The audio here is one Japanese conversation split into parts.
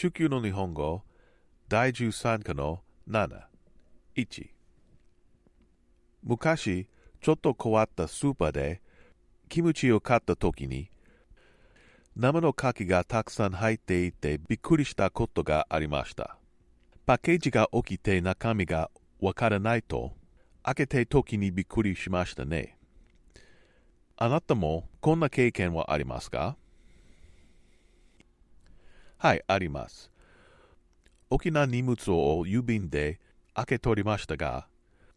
中級の日本語第13課の7。1。昔、ちょっと変わったスーパーでキムチを買った時に生の牡蠣がたくさん入っていてびっくりしたことがありました。パッケージが起きて中身がわからないと開けて時にびっくりしましたね。あなたもこんな経験はありますか？はい、あります。大きな荷物を郵便で開け取りましたが、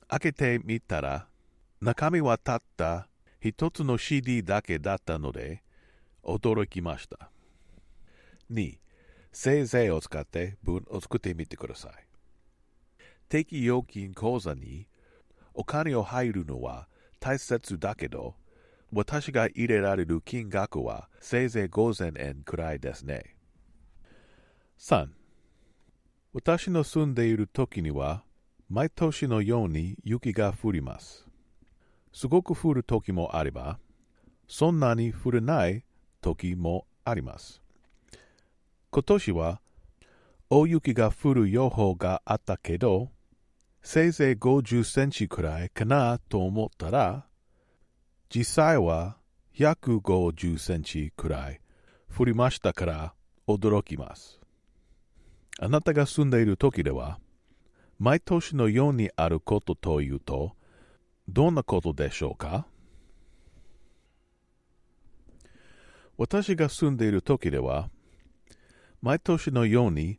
開けてみたら中身はたった一つの CD だけだったので驚きました。2. せいぜいを使って文を作ってみてください。定期預金口座にお金を入るのは大切だけど、私が入れられる金額はせいぜい5000円くらいですね。3. 私の住んでいる時には毎年のように雪が降ります。すごく降る時もあれば、そんなに降らない時もあります。今年は大雪が降る予報があったけど、せいぜい50センチくらいかなと思ったら、実際は150センチくらい降りましたから驚きます。あなたが住んでいる時では、毎年のようにあることというと、どんなことでしょうか？私が住んでいる時では、毎年のように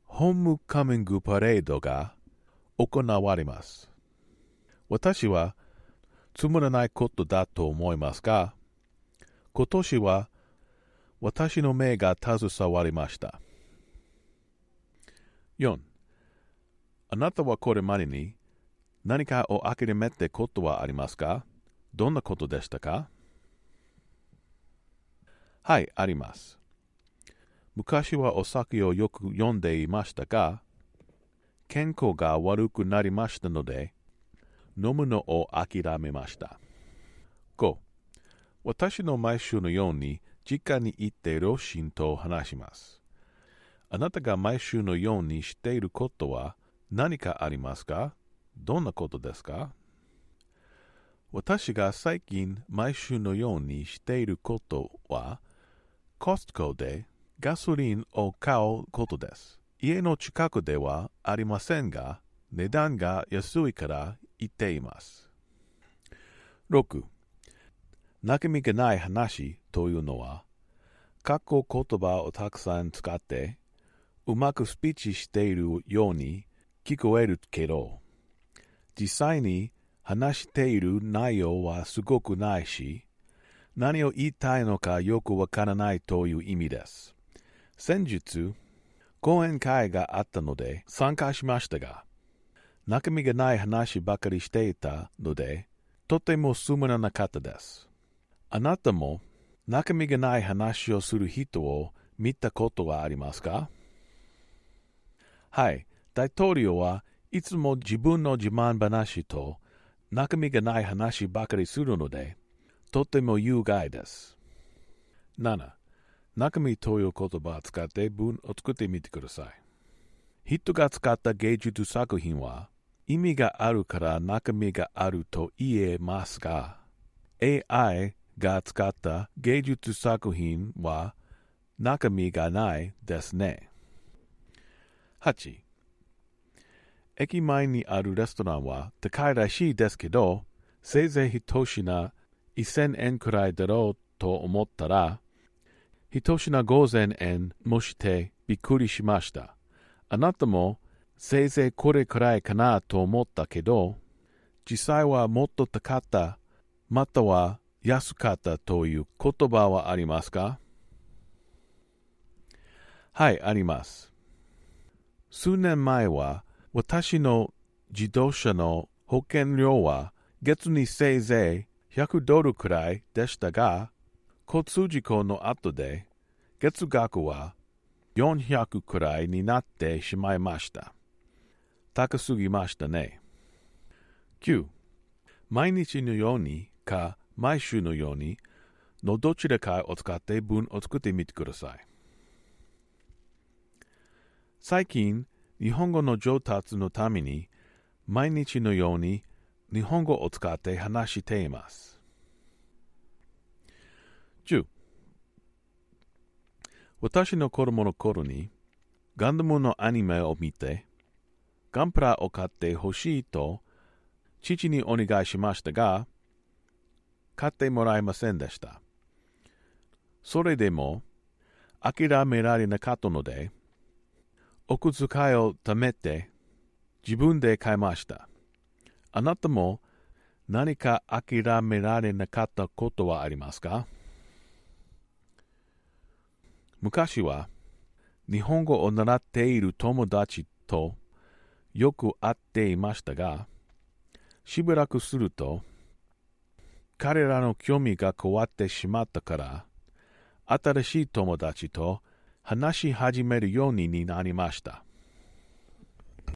ホームカミングパレードが行われます。私はつまらないことだと思いますが、今年は私の目が携わりました。4. あなたはこれまでに何かを諦めたことはありますか？どんなことでしたか？はい、あります。昔はお酒をよく飲んでいましたが、健康が悪くなりましたので、飲むのを諦めました。5. 私の毎週のように実家に行って両親と話します。あなたが毎週のようにしていることは何かありますか？どんなことですか？私が最近毎週のようにしていることは、コストコでガソリンを買うことです。家の近くではありませんが、値段が安いから行っています。6. 中身がない話というのは、過去言葉をたくさん使って、うまくスピーチしているように聞こえるけど、実際に話している内容はすごくないし、何を言いたいのかよくわからないという意味です。先日、講演会があったので参加しましたが、中身がない話ばかりしていたので、とてもつまらなかったです。あなたも中身がない話をする人を見たことはありますか？はい、大統領はいつも自分の自慢話と中身がない話ばかりするので、とても有害です。7. 中身という言葉を使って文を作ってみてください。人が使った芸術作品は意味があるから中身があると言えますが、AI が使った芸術作品は中身がないですね。8. 駅前にあるレストランは高いらしいですけど、せいぜい一品1000円くらいだろうと思ったら、一品5000円もしてびっくりしました。あなたもせいぜいこれくらいかなと思ったけど、実際はもっと高かった、または安かったという言葉はありますか？はい、あります。数年前は私の自動車の保険料は月にせいぜい$100くらいでしたが、交通事故の後で月額は400くらいになってしまいました。高すぎましたね。9. 毎日のようにか毎週のようにのどちらかを使って文を作ってみてください。最近、日本語の上達のために、毎日のように日本語を使って話しています。10. 私の子供の頃に、ガンダムのアニメを見て、ガンプラを買ってほしいと、父にお願いしましたが、買ってもらえませんでした。それでも、諦められなかったので、お小遣いを貯めて、自分で買いました。あなたも何か諦められなかったことはありますか？昔は、日本語を習っている友達とよく会っていましたが、しばらくすると、彼らの興味が変わってしまったから、新しい友達と話し始めるようになりました。